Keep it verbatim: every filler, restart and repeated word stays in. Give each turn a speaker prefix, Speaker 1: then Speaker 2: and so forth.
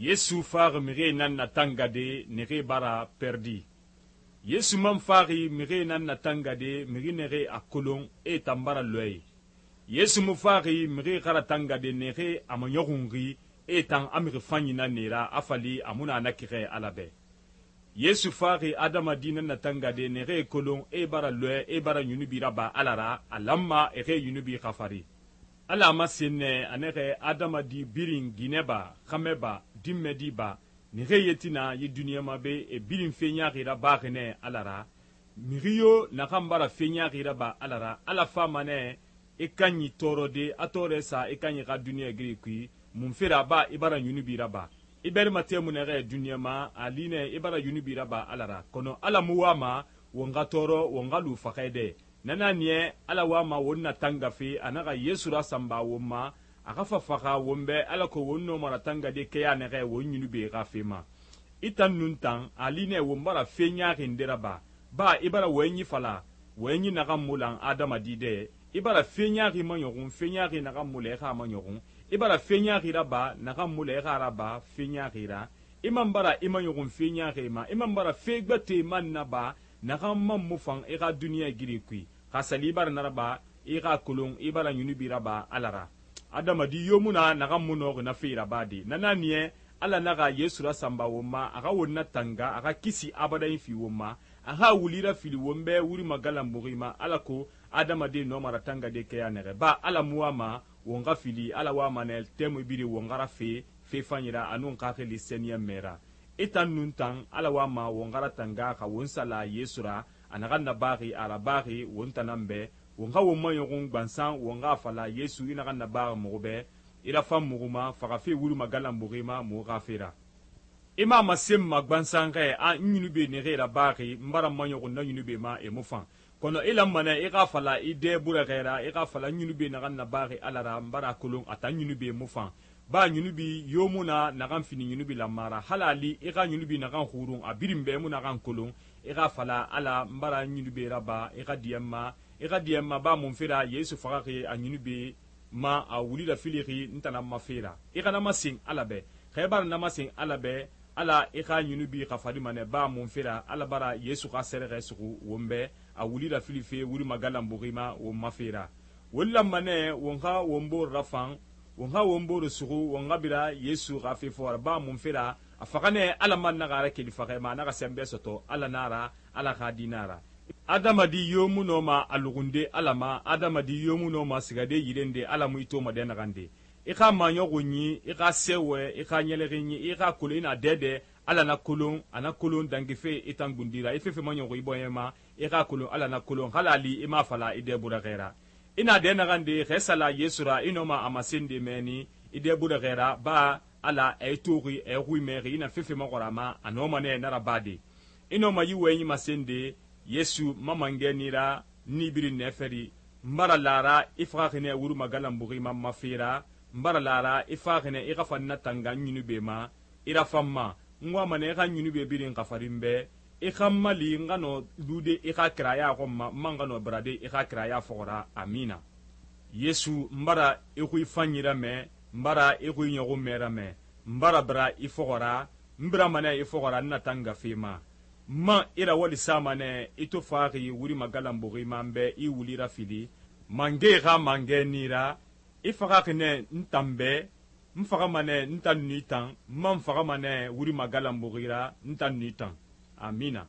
Speaker 1: Yesu faxi mixie nan natangade nixie bara perdi. Yesu man faxi mixie nan natangade mixi nixie a kolon e tan bara lɔɛ. Yesu mu faxi mixie xara tangade nixie a maɲɔxunxi e tan a mixi fanyi nan nera a fali a mu na na kixɛ Ala bɛ. Yesu faxi adamadi nan natangade nixie kolon e bara lɔɛ e bara yunubi raba Ala ra a lanma e xe yunubi xafari. Ala ma senne anexe adamadi birin ginɛ ba xamɛ ba dinmɛdi ba nixe yetina yi duniɲa ma be e birin feɲaxi rabaxi nɛ Ala ra mixi yo naxan bara feɲaxi raba Ala ra Ala fama nɛ i kanɲi tɔɔrɔde a tɔɔrɛ sa i kanɲi xa duniɲa giri kui mun fera ba i bara yunubi raba i bɛrima temu nɛxɛ duniɲa ma a li nɛ i bara yunubi raba Ala ra kɔnɔ Ala mu wama won xa tɔɔrɔ won xa lu faxɛ dɛ nana niɛ Ala wama won na tangafe a naxa Yesu rasanba won ma a xa fa faxa won bɛ alako won nɔma ratangade kɛya nɛxɛ won ɲunube xa fe ma i tan nun tan a li nɛ won bara fe ɲaxi nde raba ba i bara wɔyɛnɲi fala wɔyɛnɲi naxan mu lan adamadi dɛ i bara fe ɲaxi maɲɔxun fe ɲaxi naxan mu la i xa maɲɔxun i bara fe ɲaxi raba naxan mu la i xa raba fe ɲaxi ra i man bara i maɲɔxun fe ɲaxi ma i man bara fe gbɛte man naba naxan man mu fan i xa duniɲa giri kui xa sali i bara naraba i xa kolon i bara ɲunubi raba Ala ra adamadi yo mu na naxan mu nɔxi na fe raba de nana niɛ Ala naxa Yesu rasanba won ma a xa won na tanga a xa kisi abadayin fi won ma a xa wuli rafili won bɛ wuri magalanbuxi ma alako adamaden nɔma ratangade kɛya nɛxɛ ba Ala mu wama won xa fili Ala wama nɛ tɛmui biri won xa rafe fe fanɲira anun xaxili sɛniyɛnmɛ ra i tan nun tan Ala wama won xa ratanga xa won sala Yesu ra a naxan nabaxi a rabaxi won tanan bɛ won xa won maɲɔxun gbansan won xa fala Yesu i naxan nabaxi muxu bɛ i rafan muxu ma faxafe wuri magalanbuxi ma muxu xa fera i ma masen ma gbansan xɛ a n ɲunube nexe rabaxi n bara maɲɔxun na ɲunube ma e mu fan kɔnɔ i lanmanɛ i xa fala i dɛ burɛxɛra i xa fala ɲunube naxan nabaxi Ala ra n bara kolon a tan ɲunube mu fan ba ɲunubi yo mu na naxan fini ɲunubi lanmara halali i xa ɲunubi naxan xurun a birin bɛ mu naxan kolon i xa fala Ala n bara ɲunube raba i xa diɲɛ ma i xa diɲɛ ma ba mun fera Yesu faxaxi a ɲunube ma a wuli rafilixi n tana ma fera i xana masen Ala bɛ xa i bara na masen Ala bɛ Ala i xa ɲunubi xafari manɛ ba mun fera Ala bara Yesu xa sɛrɛxɛ suxu won bɛ a wuli rafili fe wuri magalanbuxi ma won ma fera won lanmanɛ won xa won boro rafan won xa won boro suxu won xa bira Yesu xa fe fɔra ba mun fera a faxanɛ Ala man naxa ra keli faxɛ ma a naxa sɛnbɛ sɔtɔ Ala nara Ala xa dina ra adamadi yo mu nɔma a luxunde Ala ma adamadi yo mu nɔma sigade yirende Ala mu i toma dɛ naxande i xa maɲɔxun ɲi i xa sɛwɛ i xa ɲɛlɛxin ɲi i xa kolon i na dɛdɛ Ala na kolon a na kolon dangife i tan gundira i fefe maɲɔxun i bɔɲɛ ma i xa kolon Ala na kolon halali i ma fala i dɛ burɛxɛra i na dɛ naxande xɛ sala Yesu ra i nɔma a masende mɛni i dɛ burɛxɛra ba Ala a i toxi a i xui mɛxi i na fefe maxɔra ma a nɔma nɛ na raba de i nɔma yi wɔyɛnɲi masende Yesu ma mangɛ nira ni birin nɛfɛri n bara lara i faxaxinɛ wuri magalanbuxi ma ma fera n bara lara i faxinɛ i xa fan na tanga n ɲunube ma i rafan ma n wamanɛ i xa ɲunube birin xafarin bɛ i xa mali n xa nɔ lude i xa kiraya xɔn ma n man xa nɔ barade i xa kiraya fɔxɔra amina Yesu n bara i xui fanɲira mɛ n bara i xui ɲɔxun mɛra mɛ n bara bara i fɔxɔra n bira manɛ i fɔxɔra n na tanga fe ma ma i ra wali sama nɛ i to faxi wuri magalanbuxi ma n bɛ i wuli rafili mange xa mangɛ nira i faxaxi nɛ n tan bɛ n faxama nɛ n tan nu i tan n man faxama nɛ wuri magalanbuxi ra n tan nu i tan amina.